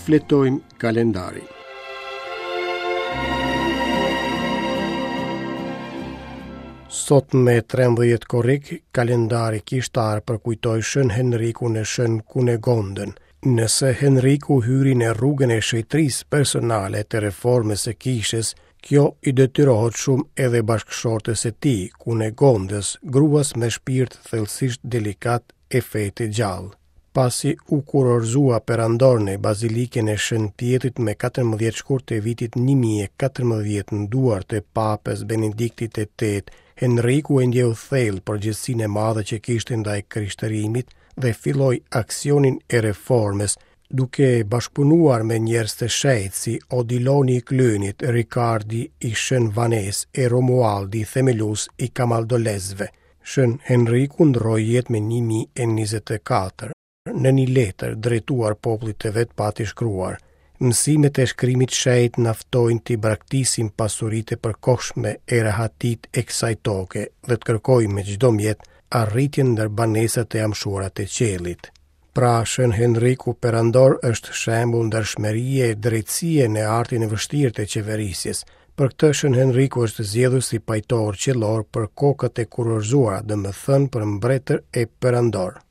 Shfletojmë kalendarin. Sot me 13 korrik, kalendari kishtar përkujtoi Shën Henrikun e Shën Kunegondën. Nëse Henriku hyri në rrugën e shenjtërisë personale të reformës së kishës, kjo i detyrohet shumë edhe bashkëshortes së tij, Kunegondës, gruas me shpirt thellësisht delikat e fe të gjallë. Pasi u kurorëzua perandor në Bazilikën e Shën Pjetrit me 14 shkurt të vitit 1014 në duart e Papës Benediktit të VIII, Henriku e ndjeu thellë përgjegjësinë e madhe që kishte ndaj krishterimit dhe filloi aksionin e reformës, duke bashkëpunuar me njerëz të shenjtë si Odiloni i Klynit, Rikardi i Shën Vanes e Romualdi themelues i Kamaldolesve. Shën Henriku ndërroi jetë me 1024. Në një letër drejtuar popullit të vet pati shkruar: Mësimet e shkrimit të shenjtë na ftojnë t'i braktisim pasuritë e përkohshme e rehatitë e kësaj toke dhe të kërkojmë me çdo mjet arritjen ndër banesat e amshuara të qiellit. Pra, Shën Henriku Perandor është shembull ndershmërie e drejtësie në artin e vështirë të qeverisjes. Për këtë Shën Henriku është zgjedhur si pajtor qiellor për kokat e kurorëzuara, domethënë për mbretër e perandorë.